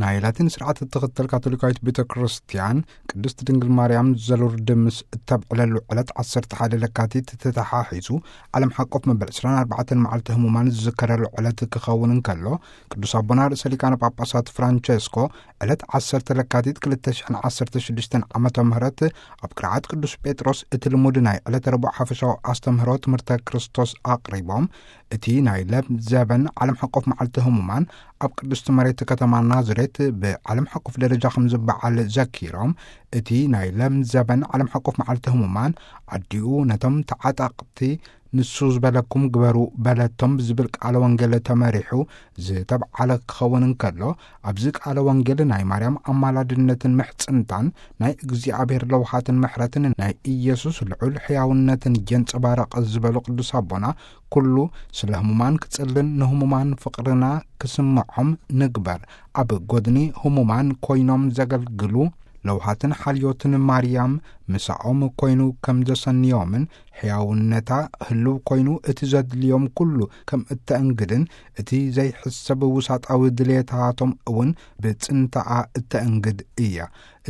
ናይ ላቲን ስርዓት እትኽተል ካቶሊካዊት ቤተ ክርስቲያን፣ ቅድስት ድንግል ማርያም ዘሉርድ ምስ እተብዕለሉ ዕለት ዓሰርተ ሓደ ለካቲት ተተሓሒዙ፣ ዓለም ሓቆፍ መበል ዕስራን ኣርባዕተን መዓልቲ ህሙማን ዝዝከረሉ ዕለት ክኸውን እንከሎ፣ ቅዱስ ኣቦና ርእሰ ሊቃነ ጳጳሳት ፍራንቸስኮ ዕለት ዓሰርተ ለካቲት ክልተ ሽሕን ዓሰርተ ሽዱሽተን ዓመተ ምህረት ኣብ ቅርዓት ቅዱስ ጴጥሮስ እቲ ልሙድ ናይ ዕለተ ረቡዕ ሓፈሻዊ ኣስተምህሮ ትምህርተ ክርስቶስ ኣቕሪቦም፣ እቲ ናይ ለም ዘበን ዓለም ሓቆፍ መዓልቲ ህሙማን ኣብ ቅድስቲ መሬት ከተማ ናዝሬት ብዓለም ሓቆፍ ደረጃ ከም ዝበዓል ዘኪሮም፣ እቲ ናይ ለም ዘበን ዓለም ሓቆፍ መዓልቲ ህሙማን ኣዲኡ ነቶም ተዓጠቕቲ ንሱ ዝበለኩም ግበሩ በለቶም ብዝብል ቃለ ወንጌል ተመሪሑ ዝተብዓለ ክኸውን እንከሎ፣ ኣብዚ ቃለ ወንጌል ናይ ማርያም ኣማላድነትን ምሕጽንታን፣ ናይ እግዚኣብሔር ለውሃትን ምሕረትን ናይ ኢየሱስ ልዑል ሕያውነትን የንጸባረቕ ዝበሉ ቅዱስ ኣቦና፣ ኩሉ ስለ ህሙማን ክጽልን ንህሙማን ፍቕርና ክስምዖም ንግበር። ኣብ ጎድኒ ህሙማን ኮይኖም ዘገልግሉ ለውሃትን ሓልዮትን ማርያም ምሳኦም ኮይኑ ከም ዘሰንዮምን ሕያውነታ ህልው ኮይኑ እቲ ዘድልዮም ኩሉ ከም እተእንግድን እቲ ዘይሕሰብ ውሳጣዊ ድልየታቶም እውን ብጽንታኣ እተእንግድ እያ።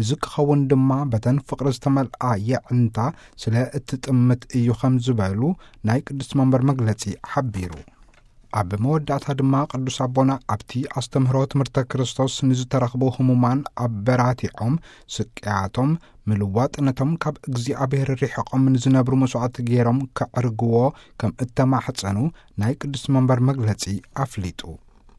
እዚ ክኸውን ድማ በተን ፍቕሪ ዝተመልኣ የዕንታ ስለ እትጥምት እዩ ከም ዝበሉ ናይ ቅድስቲ መንበር መግለጺ ሓቢሩ። ኣብ መወዳእታ ድማ ቅዱስ ኣቦና ኣብቲ ኣስተምህሮ ትምህርተ ክርስቶስ ንዝተረኽቡ ህሙማን ኣበራቲዖም፣ ስቅያቶም ምልዋጥ ነቶም ካብ እግዚኣብሔር ርሒቖም ንዝነብሩ መስዋዕቲ ገይሮም ከዕርግዎ ከም እተማሕጸኑ ናይ ቅዱስ መንበር መግለጺ ኣፍሊጡ።